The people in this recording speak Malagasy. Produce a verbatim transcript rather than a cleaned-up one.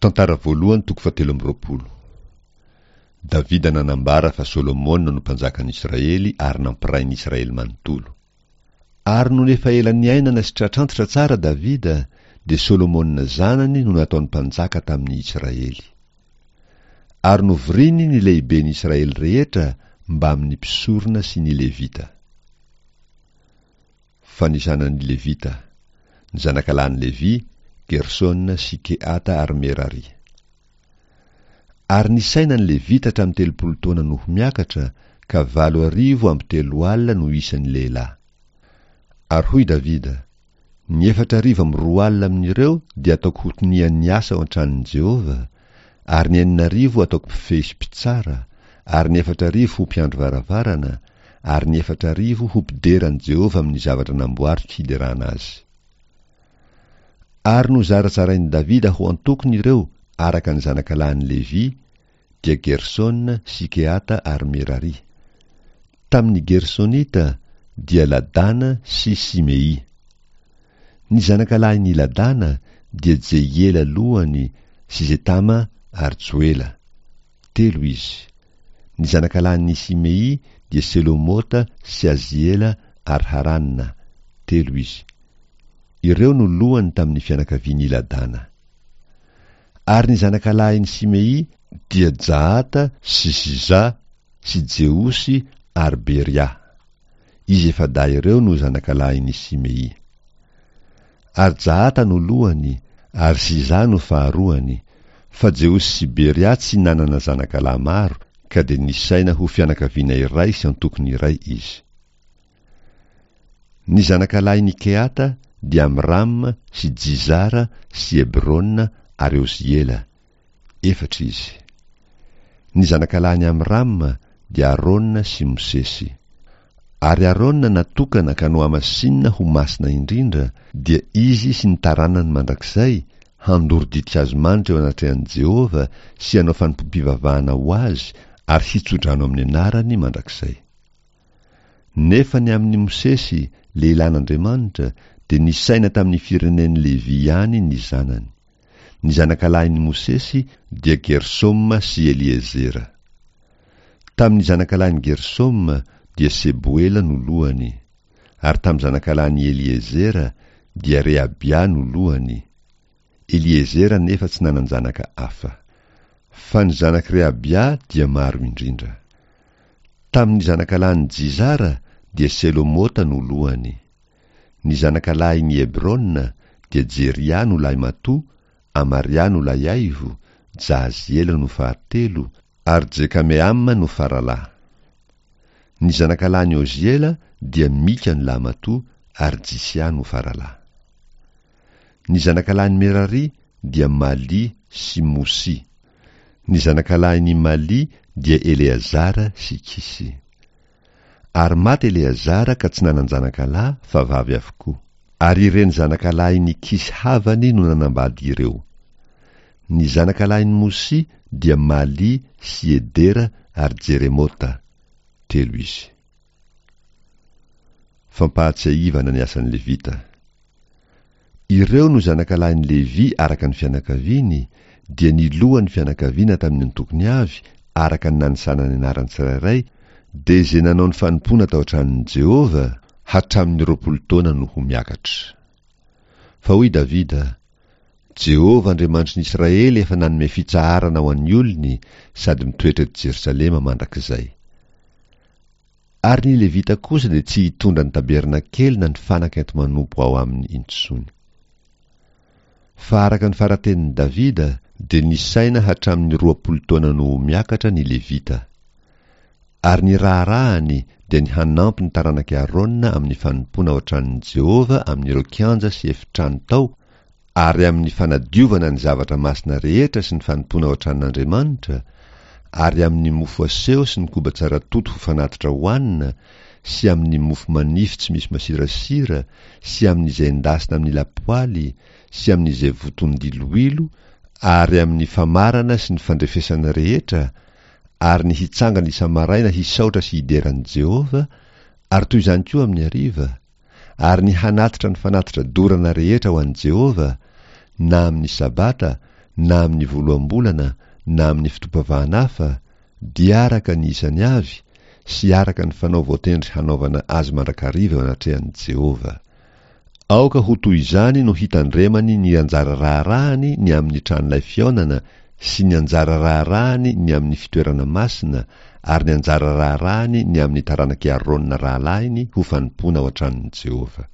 Tantara voalohany toko fahatelo amby roapolo. Davida nanambara fa Solomona no mpanjakan'ny Israely ary nampiray ny Israely manontolo. Ary nony efa ela niainana sy tratrantitra tsara Davida, dia Solomona zanany no nataony mpanjaka tamin'ny Israely. Ary novoriny ny lehiben'ny Israely rehetra mbamin'ny mpisorona sy ny Levita. Fanisana ny Levita, ny zanakalahin'i Levy, Gersona sy Kehata ary Merari. Ary nisaina ny Levita hatramin'ny telopolo taona noho miakatra, ka valo arivo amby telo alina no isan'ny lehilahy. Ary hoy Davida, ny efatra arivo amby roa alina amin'ireo dia ataoko ho tonian'ny asa ao an-tranon'i Jehovah, ary ny enina arivo ataoko mpifehy sy mpitsara, ary ny efatra arivo ho mpiandry varavarana, ary ny efatra arivo ho mpidera an'i Jehovah amin'ny zavatra namboariko hiderana azy. Ary nozarazarain'i Davida ho antokony ireo araka ny zanakalahin'i Levy, dia Gersona sy Kehata ary Merari. Tamin'ny Gersonita dia Ladana sy Simei. Ny zanakalahin'i Ladana dia Jehiela lohany sy Zetama ary Joela. Telo izy. Ny zanakalahin'i Simei dia Selomota sy Aziela ary Harana. Telo izy. Ireo no lohany tamin'ny fianakavian'i Ladana. Ary ny zanakalahin'i Simei dia Jahata sy Ziza sy Jeosy ary Beria. Izy efa-dahy ireo no zanakalahin'i Simei. Ary Jahata no lohany, ary Ziza no faharoany, fa Jeosy sy Beria tsy nanana zanakalahy maro, ka dia nisaina ho fianakaviana iray sy antokony iray izy. Ny zanakalahin'i Kehata dia Amram sy Jizara sy Hebrona ary Oziela. Efatra izy. Ny zanakalahin'i Amram dia Arona sy Mosesy. Ary Arona natokana ka nohamasinina ho masina indrindra, dia izy sy ny taranany mandrakizay, handoro ditin-kazo manitra eo anatrehan'i Jehovah sy hanao fanompoam-pivavahana ho azy ary hitsodrano amin'ny anarany mandrakizay. Nefa ny amin'i Mosesy, lehilahin'Andriamanitra, dia nisaina tamin'ny firenen'i Levy ihany ny zanany. Ny zanakalahin'i Mosesy dia Gersoma sy Eliezera. Tamin'ny zanakalahin'i Gersoma dia Seboela no lohany, ary tamin'ny zanakalahin'i Eliezera dia Rehabia no lohany. Eliezera nefa tsy nanan-janaka hafa. Fa ny zanak'i Rehabia dia maro indrindra. Tamin'ny zanakalahin'i Jizara dia Selomota no lohany. Ny zanakalahin'i Hebrona dia Jeria no lahimatoa, Amaria no lahiaivo, Jahaziela no fahatelo, ary Jekameama no faralahy. Ny zanakalahin'i Oziela dia Mika no lahimatoa, ary Jisia no faralahy. Ny zanakalahin'i Merari dia Mali sy Mosy. Ny zanakalahin'i Mali dia Eleazara sy Kisy. Ary maty Eleazara ka tsy nanan-janakalahy fa vavy avokoa. Ary ireny zanakalahin'i Kisy havany no nanambady ireo. Ny zanakalahin'i Mosy dia Mali sy Edera ary Jeremota. Telo izy. Fampahatsiahivana ny asan'ny Levita. Ireo no zanakalahin'i Levy araka ny fianakaviany, dia ny lohan'ny fianakaviana tamin'ny antokony avy araka ny nanisana ny anarany tsirairay, dia izay nanao ny fanompoana tao an-tranon'i Jehovah hatramin'ny roapolo taona no ho miakatra. Fa hoy Davida, Jehovah Andriamanitry ny Israely efa nanome fitsaharana ho an'ny olony sady mitoetra eto Jerosalema mandrakizay. Ary ny Levita kosa dia tsy hitondra ny tabernakely na ny fanaka enti-manompo ao aminy intsony. Fa araka ny faratenin'i Davida dia nisaina hatramin'ny roapolo taona no ho miakatra ny Levita. Ary ny raharahany dia ny hanampy ny taranak'i Arona amin'ny fanompoana ao an-tranon'i Jehovah amin'ireo kianja sy efitrano tao, ary amin'ny fanadiovana ny zavatra masina rehetra sy ny fanompoana ao an-tranon'Andriamanitra, ary amin'ny mofo aseho sy ny koba tsara toto ho fanatitra hohanina, sy amin'ny mofo manify tsy misy masirasira, sy amin'izay endasina amin'ny lapoaly, sy amin'izay voton-diloilo, ary amin'ny famarana sy ny fandrefesana rehetra, ary ny hitsangana isa-maraina hisaotra sy hidera an'i Jehovah, ary toy izany koa amin'ny hariva, ary ny hanatitra ny fanatitra dorana rehetra ho an'i Jehovah, na amin'ny sabata, na amin'ny voaloham-bolana na amin'ny fotoam-pivavahana hafa, dia araka ny isany avy sy araka ny fanao voatendry hanaovana azy mandrakariva eo anatrehan'i Jehovah. Aoka ho toy izany no hitandremany ny anjara raharahany ny amin'ny tranolay fihaonana sy ny anjara raharahany ny amin'ny fitoerana masina ary ny anjara raharahany ny amin'ny taranak'i Aarona rahalahiny ho fanompoana ao an-tranon'i Jehovah.